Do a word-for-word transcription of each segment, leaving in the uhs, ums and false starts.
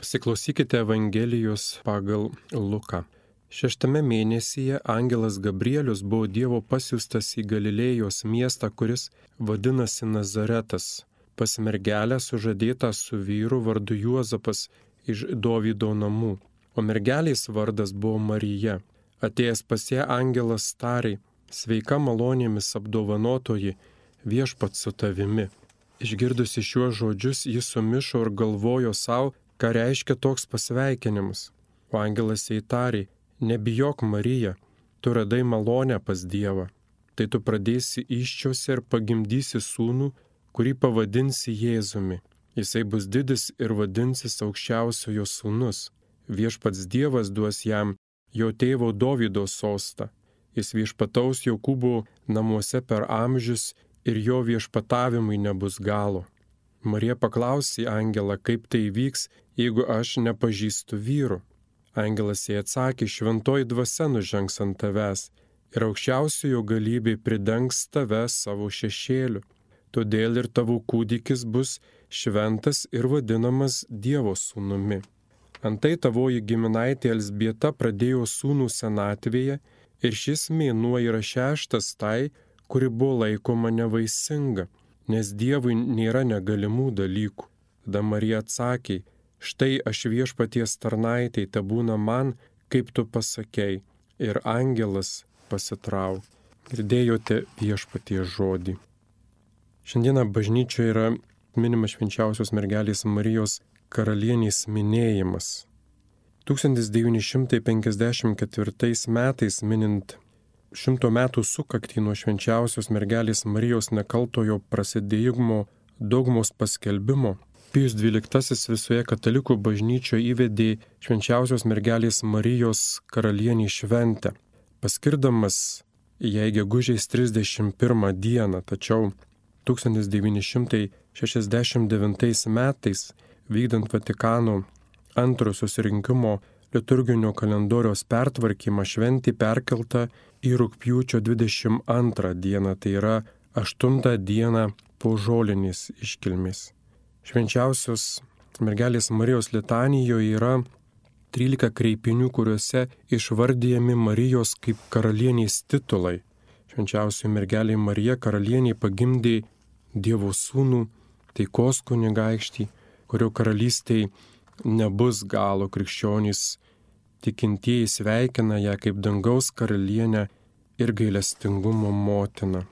Pasiklausykite Evangelijos pagal Luką. Šeštame mėnesyje angelas Gabrielius buvo Dievo pasiųstas į Galilėjos miestą, kuris vadinasi Nazaretas, pas mergelę sužadėtą su vyru vardu Juozapas iš Dovydo namų, o mergelės vardas buvo Marija. Atėjęs pas ją angelas tarė: sveika malonėmis apdovanotoji, viešpats su tavimi. Išgirdusi šiuos žodžius, jis sumišo ir galvojo savo, ką reiškia toks pasveikinimas. O angelas jai tarė: nebijok, Marija, tu radai malonę pas Dievą. Tai tu pradėsi įsčiose ir pagimdysi sūnų, kurį pavadinsi Jėzumi. Jisai bus didis ir vadinsis aukščiausiojo sūnus. Viešpats Dievas duos jam jo tėvo Dovydo sostą. Jis viešpataus Jokūbo namuose per amžius ir jo viešpatavimui nebus galo. Marija paklausė angelą, kaip tai vyks, jeigu aš nepažįstu vyrų. Angelas jai atsakė: šventoji dvasia nužengs ant tavęs ir aukščiausiojo galybė pridengs tave savo šešėliu. Todėl ir tavo kūdikis bus šventas ir vadinamas Dievo sūnumi. Antai tavoji giminaitė Elzbieta pradėjo sūnų senatvėje ir šis mėnuo yra šeštas tai, kuri buvo laikoma nevaisinga, nes Dievui nėra negalimų dalykų. Tada Marija atsakė: štai aš viešpaties tarnaitei, tebūna man, kaip tu pasakei, ir angelas pasitraukė. Girdėjote viešpaties žodį. Šiandieną bažnyčioje yra minimas švenčiausios mergelės Marijos karalienės minėjimas. tūkstantis devyni šimtai penkiasdešimt ketvirtais metais, minint šimto metų sukaktį nuo švenčiausios mergelės Marijos nekaltojo prasidėjimo dogmos paskelbimo, Pijus dvyliktasis visoje katalikų bažnyčioje įvedė švenčiausios mergelės Marijos karalienį šventę, paskirdamas jai gegužės trisdešimt pirmą dieną, tačiau tūkstantis devyni šimtai šešiasdešimt devintais metais, vykdant Vatikano antrojo susirinkimo liturginio kalendoriaus pertvarkymą, šventė perkelta į rugpjūčio dvidešimt antrą dieną, tai yra aštuntą dieną po žolinės iškilmės. Švenčiausios mergelės Marijos litanijoje yra trylika kreipinių, kuriuose išvardyjami Marijos kaip karalienės titulai. Švenčiausioji mergelė Marija karalienė pagimdė Dievo sūnų, taikos kunigaikštį, kurio karalystėj nebus galo. Krikščionys tikintieji sveikina ją kaip dangaus karalienę ir gailestingumo motiną.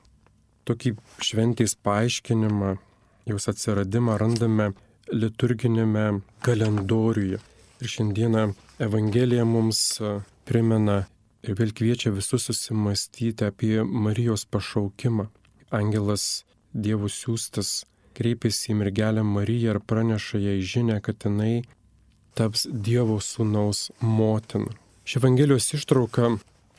Tokį šventės paaiškinimą, jos atsiradimą randame liturginėme kalendoriuje. Ir šiandieną Evangelija mums primena ir vėl kviečia visus susimastyti apie Marijos pašaukimą. Angelas Dievo siųstas kreipėsi į mergelę Mariją ir praneša jai žinią, kad jinai taps Dievo sūnaus motina. Ši Evangelijos ištrauka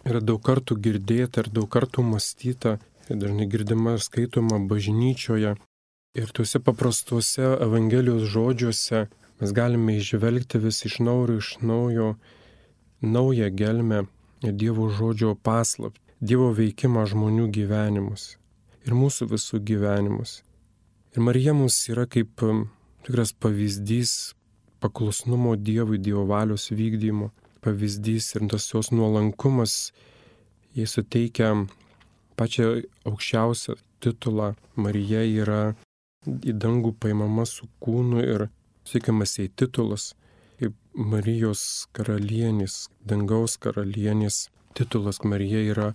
yra daug kartų girdėta ir daug kartų mąstyta, ir dažnai girdima ir skaitoma bažnyčioje. Ir tuose paprastuose Evangelijos žodžiuose mes galime išvelgti vis iš naujo iš naujo naują gelmę Dievo žodžio paslaptį, Dievo veikimą žmonių gyvenimus ir mūsų visų gyvenimus. Ir Marija mums yra kaip tikras pavyzdys paklusnumo Dievui, Dievo valios vykdymo pavyzdys, ir tas jos nuolankumas, jai suteikia pačią aukščiausią titulą. Marija yra į dangų paimama su kūnu ir suteikiamas jai titulas kaip Marijos karalienės, dangaus karalienės titulas. Marija yra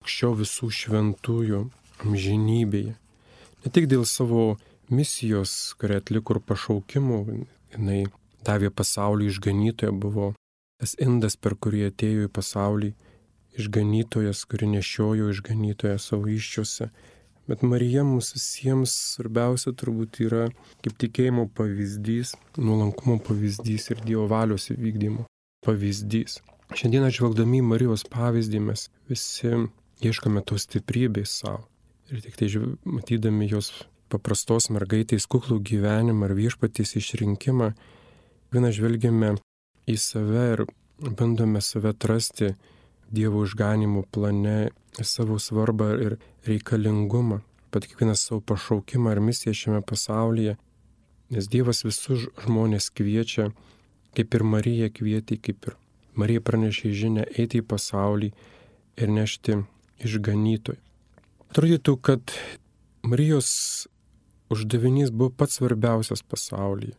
aukščiau visų šventųjų amžinybėje. Ne tik dėl savo misijos, kurią atliko ir pašaukimų, jinai davė pasaulį išganytoją, buvo tas indas, per kurį atėjo į pasaulį išganytojas, kuri nešiojo išganytoją savo įsčiose. Bet Marija mums visiems svarbiausia turbūt yra kaip tikėjimo pavyzdys, nuolankumo pavyzdys ir Dievo valios įvykdymo pavyzdys. Šiandieną žvelgdami į Marijos pavyzdį mes visi ieškome tos stiprybės savo. Ir tik tai matydami jos paprastos mergaitės kuklų gyvenimą ir viešpaties išrinkimą, vieną žvelgiame į save ir bandome save atrasti Dievo išganimo plane, savo svarbą ir reikalingumą, pat kiekvieną savo pašaukimą ir misiją šiame pasaulyje, nes Dievas visus žmonės kviečia kaip ir Marija kvietė, kaip ir Marija pranešė žinę eiti į pasaulį ir nešti išganytoją. Atrodytų, kad Marijos uždavinys buvo pats svarbiausias pasaulyje.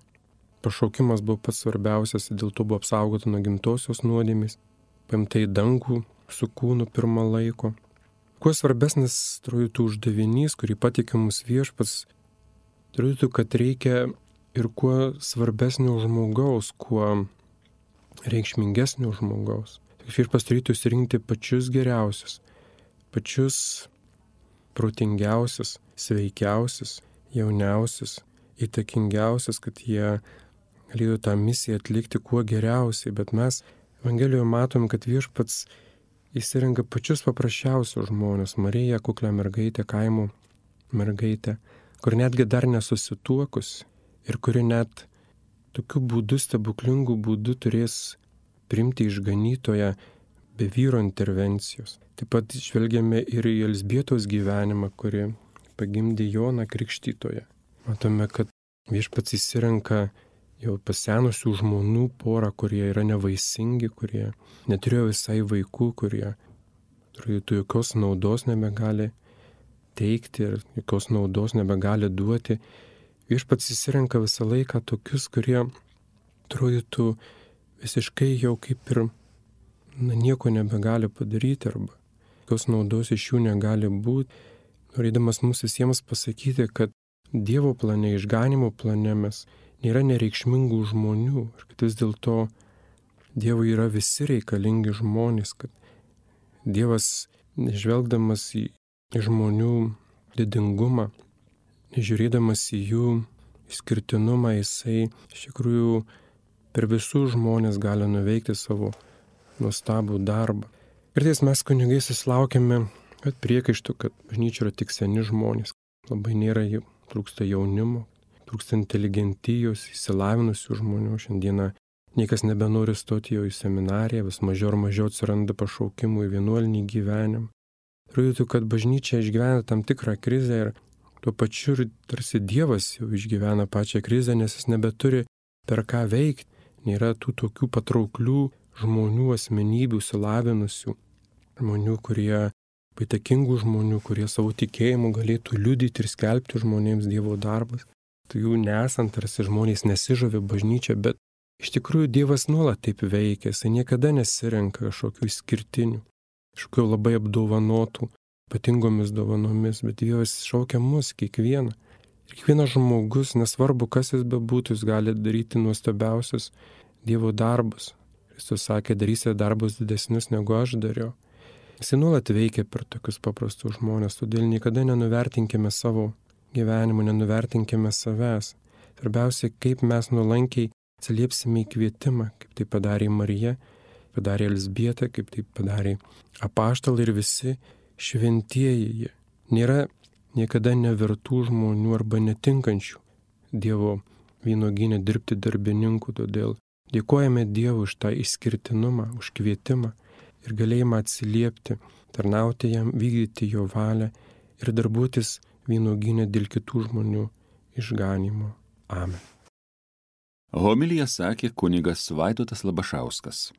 Pašaukimas buvo pats svarbiausias, dėl to buvo apsaugota nuo gimtosios nuodėmės, paimta į dangų su kūnu pirmą laiko. Kuo svarbesnis, atrodytų, uždavinys, kurį patikė mums Viešpats, atrodytų, kad reikia ir kuo svarbesnio žmogaus, kuo reikšmingesnio žmogaus. Viešpats turėtų išsirinkti pačius geriausius, pačius protingiausius, sveikiausius, jauniausius, įtakingiausius, kad jie galėtų tą misiją atlikti kuo geriausiai. Bet mes Evangelijoje matom, kad Viešpats įsirenka pačius paprasčiausius žmonės. Marija, kuklę mergaitę, kaimo mergaitę, kur netgi dar nesusituokus ir kuri net tokiu būdu, stebuklingų būdų turės priimti išganytoją be vyro intervencijos. Taip pat žvelgiame ir į Elzbietos gyvenimą, kuri pagimdė Joną Krikštytoją. Matome, kad Viešpats įsirenka jau pasenusių žmonų porą, kurie yra nevaisingi, kurie neturėjo visai vaikų, kurie turėtų jokios naudos nebegali teikti ir jokios naudos nebegali duoti. Viešpats įsirenka visą laiką tokius, kurie atrodytų visiškai jau kaip ir na, nieko nebegali padaryti arba jokios naudos iš jų negali būti. Norėdamas mums visiems pasakyti, kad Dievo plane, išganimo plane mes nėra nereikšmingų žmonių ir kad vis dėlto Dievui yra visi reikalingi žmonės, kad Dievas, nežvelgdamas į žmonių didingumą, nežiūrėdamas į jų išskirtinumą, jisai iš tikrųjų per visus žmonės gali nuveikti savo nuostabų darbą. Kartais mes kunigai susilaukiame priekaištų, kad bažnyčia yra tik seni žmonės, labai nėra jų, trūksta jaunimo, trūksta inteligentijos, įsilavinusių žmonių. Šiandieną niekas nebenori stoti jau į seminariją, vis mažiau ir mažiau atsiranda pašaukimų į vienuolinį gyvenimą. Atrodytų, kad bažnyčia išgyvena tam tikrą krizę ir tuo pačiu ir tarsi Dievas jau išgyvena pačią krizę, nes jis nebeturi per ką veikti. Nėra tų tokių patrauklių žmonių, asmenybių, įsilavinusių žmonių, kurie įtakingų žmonių, kurie savo tikėjimu galėtų liudyti ir skelbti žmonėms Dievo darbus. Tai jų nesant, tarsi žmonės nesižavi bažnyčia, bet iš tikrųjų Dievas nuolat taip veikia, jis niekada nesirenka kažkokių išskirtinių, kažkokių labai apdovanotų, ypatingomis dovanomis, bet Dievas šaukia mus kiekvieną. Ir kiekvienas žmogus, nesvarbu kas jis bebūtų, jis gali daryti nuostabiausius Dievo darbus. Kristus sakė, darysite darbus didesnius negu aš dariau. Jis nuolat veikia per tokius paprastus žmonės, todėl niekada nenuvertinkime savo gyvenimo, nenuvertinkime savęs. Svarbiausia, kaip mes nuolankiai atsiliepsime į kvietimą, kaip tai padarė Marija, padarė Elzbieta, kaip tai padarė apaštalai ir visi šventieji. Nėra niekada nevertų žmonių arba netinkančių Dievo vynuogyne dirbti darbininkų, todėl dėkojame Dievui už tą išskirtinumą, už kvietimą ir galėjimą atsiliepti, tarnauti jam, vykdyti jo valią ir darbuotis vynuogyne dėl kitų žmonių išganymo. Amen. Homiliją sakė kunigas Vaidotas Labašauskas.